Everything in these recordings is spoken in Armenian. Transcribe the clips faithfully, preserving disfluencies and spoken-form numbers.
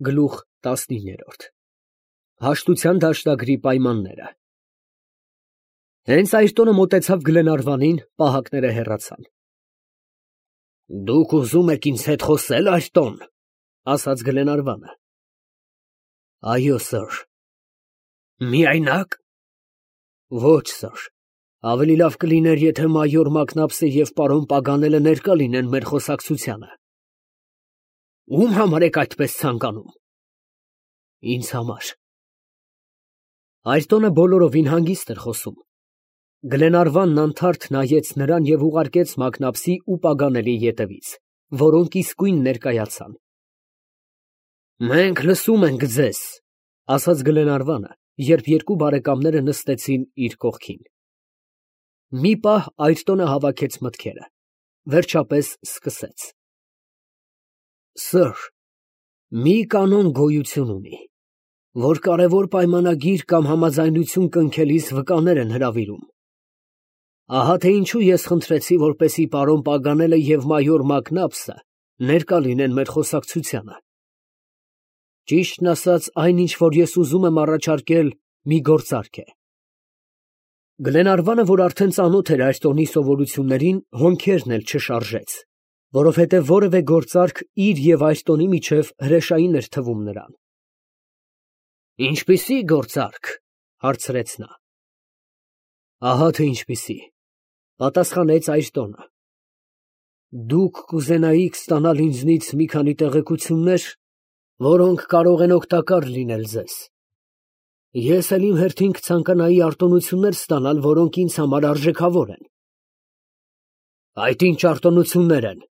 Գլուխ տասնիններորդ Հաշտության դաշտագրի պայմանները Հենց Այրտոնը մոտեցավ Գլենարվանին, պահակները հեռացան։ Դուք ուզում եք ինձ հետ խոսե՞լ, Այրտոն, ասաց Գլենարվանը։ Այո, սըր։ Միայնակ։ Ոչ, սըր, ավելի լավ կլիներ, եթե մայոր Մակնաբսը և պարոն Պագանելը ներկա լինեն մեր խոսակցությանը։ Ում համար եք այդպես ցանկանում։ Ինձ համար։ Այրտոնը բոլորովին հանգիստ էր խոսում։ Գլենարվանն անթարթ նայեց նրան և ուղարկեց Մակնաբսի ու Պագանելի ետևից, որոնք իսկույն ներկայացան։ Մենք լսում ենք ձեզ, ասաց Գլենարվանը, երբ երկու բարեկամները նստեցին իր կողքին։ Մի պահ Այրտոնը հավաքեց մտքերը, վերջապես սկսեց. Սըր, մի կանոն գոյություն ունի, որ կարևոր պայմանագիր կամ համաձայնություն կնքելիս վկաներ են հրավիրում։ Ահա թե ինչու ես խնդրեցի, որպեսզի պարոն Պագանելը և մայոր Մակնաբսը ներկա լինեն մեր խոսակցությանը։ Ճիշտն ասած, այն, ինչ որ ես ուզում եմ առաջարկել, մի գործարք է։ Գլենարվանը, որ արդեն ծանոթ էր Այրտոնի սովորություններին, հոնքերն էլ չշարժեց, որովհետև որևէ գործարք իր և Այրտոնի միջև հրեշային էր թվում նրան։ Ինչպիսի՞ գործարք, հարցրեց նա։ Ահա թե ինչպիսի, պատասխանեց Այրտոնը։ Դուք կուզենայիք ստանալ ինձնից մի քանի տեղեկություններ, որոնք կարող են օգտակար լինել ձեզ։ Ես էլ իմ հերթին կցանկանայի արտոնություններ ստանալ, որոնք ինձ համար արժեքավոր են։ Այդ ինչ արտոնություններ են։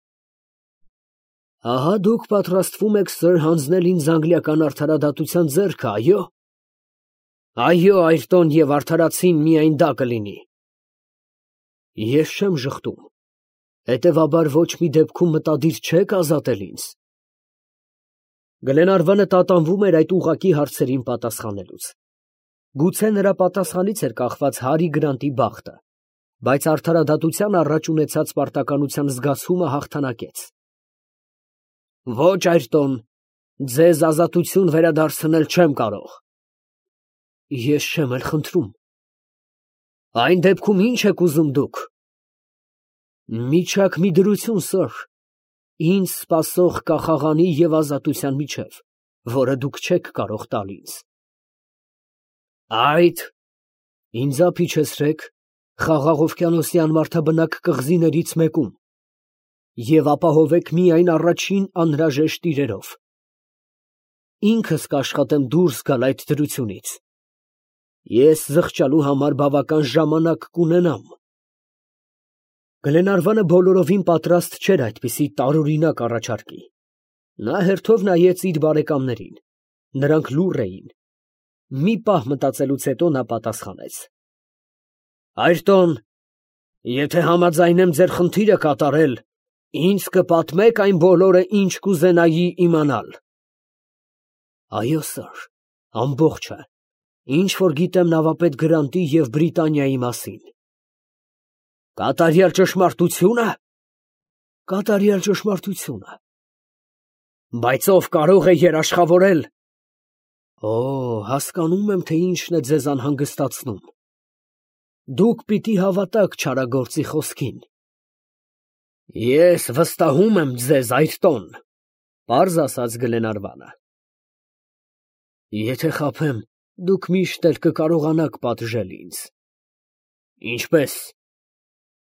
Ահա դուք պատրաստվում եք, սըր, հանձնել ինձ անգլիական արդարադատության ձեռքը, այո։ Այո, Այրտոն, և արդարացին միայն դա կլինի։ Ես չեմ ժխտում, հետևաբար ոչ մի դեպքում մտադիր չեք ազատել ինձ։ Գլենարվանը տատանվում էր այդ ուղղակի հարցերին պատասխանելուց։ Գուցե նրա պատասխանից էր կախված Հարի Գրանտի բախտը, բայց արդարադատության առաջ ունեցած պարտականության զգացումը հաղթանակեց։ Ոչ, Այրտոն, ձեզ ազատություն վերադարձնել չեմ կարող։ Ես չեմ էլ խնդրում։ Այն դեպքում ի՞նչ եք ուզում դուք։ Միջակ մի դրություն, սըր, ինձ սպասող կախաղանի և ազատության միջև, որը դուք չեք կարող տալ ինձ։ Այդ, ինձ ապիչեցրեք Խաղաղ օվկիանոսյան մարդաբնակ կղզիներից մեկում և ապահովեք միայն առաջին անհրաժեշտ իրերով։ Ինքս կաշխատեմ դուրս գալ այդ դրությունից։ Ես զղջալու համար բավական ժամանակ կունենամ։ Գլենարվանը բոլորովին պատրաստ չէր այդպիսի տարօրինակ առաջարկի։ Նա հերթով նայեց իր բարեկամներին. նրանք լուռ էին։ Մի պահ մտածելուց հետո նա պատասխանեց. Այրտոն, եթե համաձայնեմ ձեր խնդիրը կատարել, ինձ կպատմեք այն բոլորը, ինչ կուզենայի իմանալ։ Այո, սըր, ամբողջը, ինչ որ գիտեմ նավապետ Գրանտի և Բրիտանիայի մասին։ Կատարյալ ճշմարտությո՞ւնը։ Կատարյալ ճշմարտությունը։ Բայց ով կարող է երաշխավորել։ Օ, հասկանում եմ, թե ինչն է ձեզ անհանգստացնում։ Դուք պիտի հավատաք չարագործի խոսքին։ Ես վստահում եմ ձեզ, Այրտոն, պարզ ասաց Գլենարվանը։ Եթե խաբեմ, դուք միշտ էլ կկարողանաք պատժել ինձ։ Ինչպե՞ս։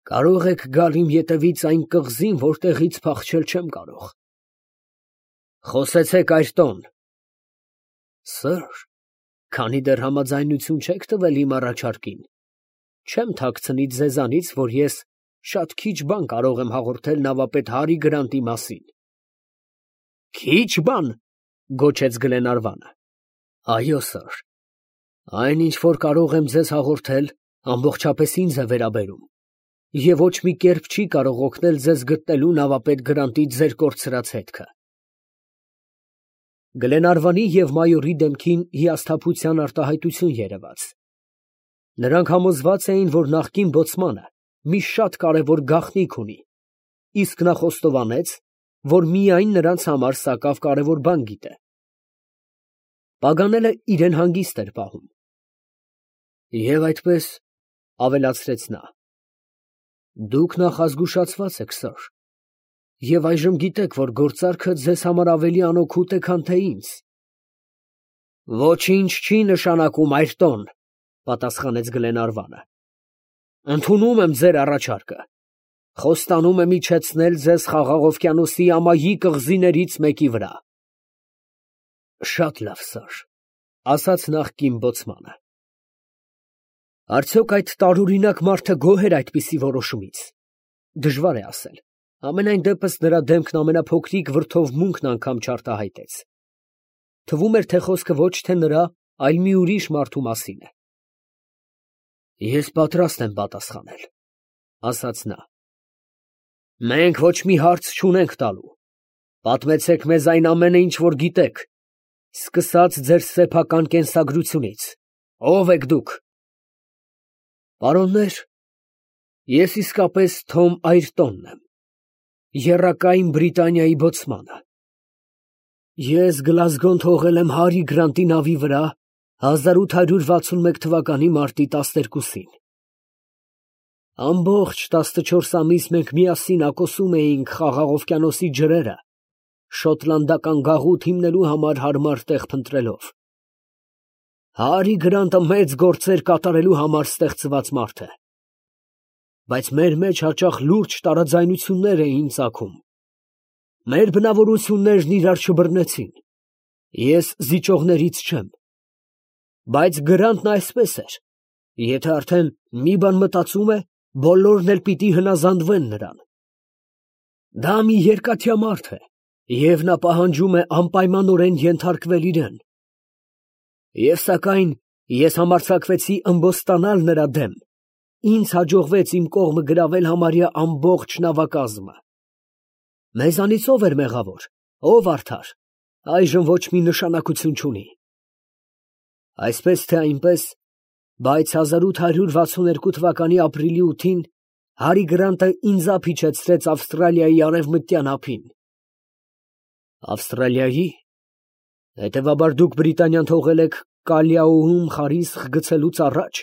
Կարող եք գալ իմ ետևից այն կղզին, որտեղից փախչել չեմ կարող։ Խոսեցեք, Այրտոն։ Սըր, քանի դեռ համաձայնություն չեք տվել իմ առաջարկին, չեմ թաքցնի ձեզանից, որ ես շատ քիչ բան կարող եմ հաղորդել նավապետ Հարի Գրանտի մասին։ Քիչ բան, գոչեց Գլենարվանը։ Այո, սըր, այն, ինչ որ կարող եմ ձեզ հաղորդել, ամբողջապես ինձ է վերաբերում, և ոչ մի կերպ չի կարող օգնել ձեզ գտնելու նավապետ Գրանտի ձեր կորցրած հետքը։ Գլենարվանի և մայորի դեմքին հիասթափության արտահայտություն երևաց։ Նրանք համոզված էին, որ նախկին բոցմանը մի շատ կարևոր գաղտնիք ունի, իսկ նա խոստովանեց, որ միայն նրանց համար սակավ կարևոր բան գիտե, Պագանելը իրեն հանգիստ էր պահում։ Եվ այդպես ավելացրեց նա. դուք նախազգուշացված եք, սըր, և այժմ գիտեք, որ գործարքը ձեզ համար ավելի անօգուտ է, քան թե ինձ։ Ոչինչ չի նշանակում, Այրտոն, պատասխանեց Գլենարվանը։ Ընդունում եմ ձեր առաջարկը, խոստանում եմ իջեցնել ձեզ Խաղաղ օվկիանոսի ամայի կղզիներից մեկի վրա։ Շատ լավ, սըր, ասաց նախկին բոցմանը։ Արդյոք այդ տարօրինակ մարդը գոհ էր այդպիսի որոշումից։ Դժվար է ասել, ամենայն դեպս նրա դեմքն ամենափոքրիկ վրդովմունքն անգամ չարտահայտեց։ Թվում էր, թե խոսքը ոչ թե նրա, այլ մի ուրիշ մարդու մասին է։ Ես պատրաստ եմ պատասխանել, ասաց նա։ Մենք ոչ մի հարց չունենք տալու։ Պատմեցեք մեզ այն ամենը, ինչ որ գիտեք, սկսած ձեր սեփական կենսագրությունից։ Ո՞վ եք դուք։ Պարոններ, ես իսկապես Թոմ Այրտոնն եմ, եռակայն Բրիտանիայի բոցմանը։ Ես Գլազգոն թողել եմ Հարի Գրանտի նավի վրա հազար ութ հարյուր վաթսունմեկ թվականի մարտի տասներկուսին։ Ամբողջ տասնչորս ամիս մենք միասին ակոսում էինք Խաղաղ օվկիանոսի ջրերը, շոտլանդական գաղութ հիմնելու համար հարմար տեղ փնտրելով։ Հարի Գրանտը մեծ գործեր կատարելու համար ստեղծված մարդ է։ Բայց մեր մեջ հաճախ լուրջ տարաձայնություններ էին ծագում։ Մեր բնավորություններն իրար չբռնեցին։ Ես զիջողներից չեմ։ Բայց Գրանտն այսպես էր. եթե արդեն մի բան մտածում է, բոլորն էլ պիտի հնազանդվեն նրան։ Դա մի երկաթյա մարդ է, և նա պահանջում է անպայմանորեն ենթարկվել իրեն։ Եվ սակայն ես համարձակվեցի ըմբոստանալ նրա դեմ, ինձ հաջողվեց իմ կողմը գրավել համարյա ամբողջ նավակազմը։ Մեզանից ով էր մեղավոր, ով արդար, այժմ ոչ մի նշանակություն չունի։ Այսպես թե այնպես, բայց հազար ութ հարյուր վաթսուներկու թվականի ապրիլի ութին Հարի Գրանտը ինձ իջեցրեց Ավստրալիայի արևմտյան ափին։ Ավստրալիայի։ Հետևաբար դուք Բրիտանիան թողել եք Կալիաոում խարիսխ գցելուց առաջ,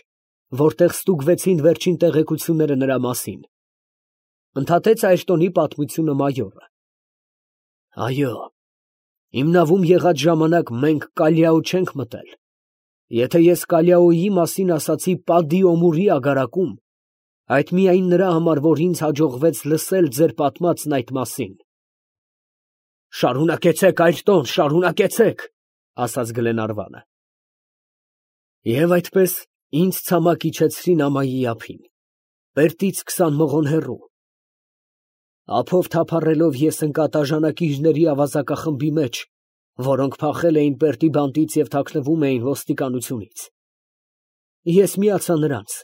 որտեղ ստուգվեցին վերջին տեղեկությունները նրա մասին, ընդհատեց Այրտոնի պատմությունը մայորը։ Այո, իմ նավում եղած ժամանակ մենք Կալիաո չենք մտել։ Եթե ես Կալիաոյի մասին ասացի Падի Օմուրի ագարակում, այդ միայն նրա համար, որ ինձ հաջողվեց լսել ձեր պատմածն այդ մասին։ Շարունակեցեք, Այրտոն, շարունակեցեք, ասաց Գլենարվանը։ Եվ այդպես ինձ ցամաք իջեցրին ամայի ափին, Պերտից քսան մղոն հեռու։ Ափով թափառելով ես ընկա տաժանակիչների ավազակախմբի մեջ, որոնք փախել էին Պերտի բանտից և թաքնվում էին ոստիկանությունից։ Ես միացա նրանց։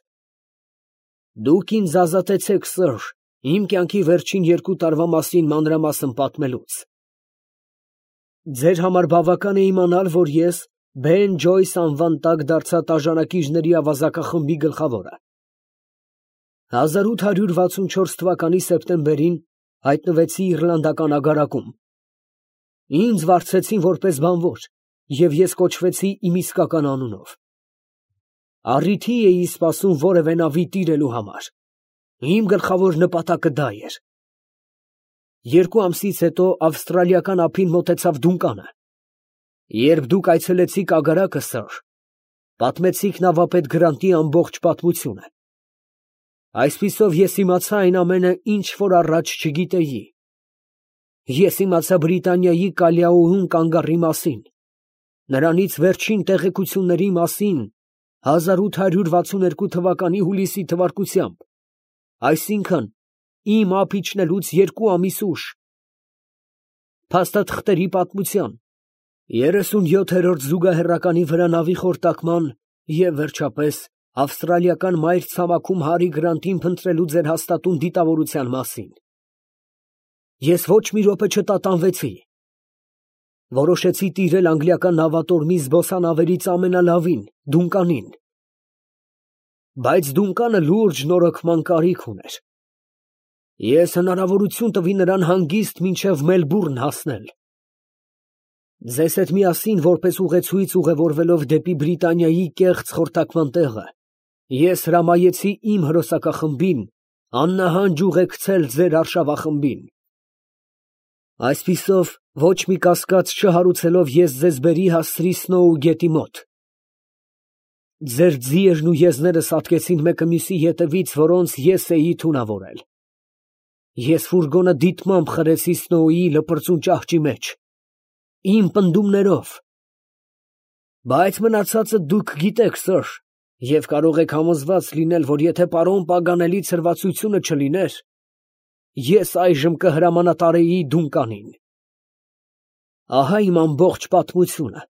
Դուք ինձ ազատեցեք, սըր, իմ կյանքի վերջին երկու տարվա մասին մանրամասն պատմելուց։ Ձեր համար բավական է իմանալ, որ ես Բեն Ջոյս անվան տակ դարձա տաժանակիչների ավազակախմբի գլխավորը։ հազար ութ հարյուր վաթսունչորս թվականի սեպտեմբերին հայտնվեցի իռլանդական ագարակում։ Ինձ վարձեցին որպես բանվոր, և ես կոչվեցի իմ իսկական անունով։ Առիթի էի սպասում որևէ նավի տիրելու համար։ Իմ գլխավոր նպատակը դա էր։ Երկու ամսից հետո ավստրալիական ափին մոտեցավ Դունկանը։ Երբ դուք այցելեցիք ագարակը, սըր, պատմեցիք նավապետ Գրանտի ամբողջ պատմությունը։ Այսպիսով ես իմացա այն ամենը, ինչ որ առաջ չգիտեի։ Ես իմացա Բրիտանիայի Կալիաոում կանգառի մասին, նրանից վերջին տեղեկությունների մասին հազար ութ հարյուր վաթսուներկու թվականի հուլիսի թվարկությամբ, այսինքն իմ ափ իջնելուց երկու ամիս ուշ, փաստաթղթերի պատմության, երեսունյոթերորդ զուգահեռականի վրա նավի խորտակման և, վերջապես, ավստրալիական մայր ցամաքում Հարի Գրանտին փնտրելու ձեր հաստատուն դիտավորության մասին։ Ես ոչ մի րոպե չտատանվեցի։ Որոշեցի տիրել անգլիական նավատորմի զբոսանավերից ամենալավին, Դունկանին։ Բայց Դունկանը լուրջ նորոգման կարիք ուներ։ Ես հնարավորություն տվի նրան հանգիստ մինչև Մելբուրն հասնել։ Ձեզ հետ միասին որպես ուղեցույց ուղևորվելով դեպի Բրիտանիայի կեղծ խորտակման տեղը, ես հրամայեցի իմ հրոսակախմբին աննահանջ ուղեկցել ձեր արշավախմբին։ Այսպիսով, ոչ մի կասկած չհարուցելով ես ձեզ բերի հասցրի Սնոու գետի մոտ։ Ձեր ձիերն ու եզներս հատկեցին մեկը մյուսի ետևից, որոնց ես էի թունավորել։ Ես ֆուրգոնը դիտմամբ խրեցի Սնոուի լպրծուն ճահճի մեջ, իմ պնդումներով։ Բայց մնացածը դուք գիտեք, սըր, և կարող եք համոզված լինել, որ եթե պարոն Պագանելի ցրվածությունը չլիներ, ես այժմ կհրամանատարեի Դունկանին։ Ահա իմ ամբողջ պատմությունը,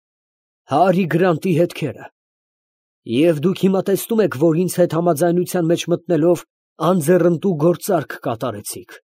Հարի Գրանտի հետքերը, և դուք հիմա տեսնում եք, որ ինձ հետ համաձայնության մեջ մտնելով անձեռնտու գործարք կատարեցիք։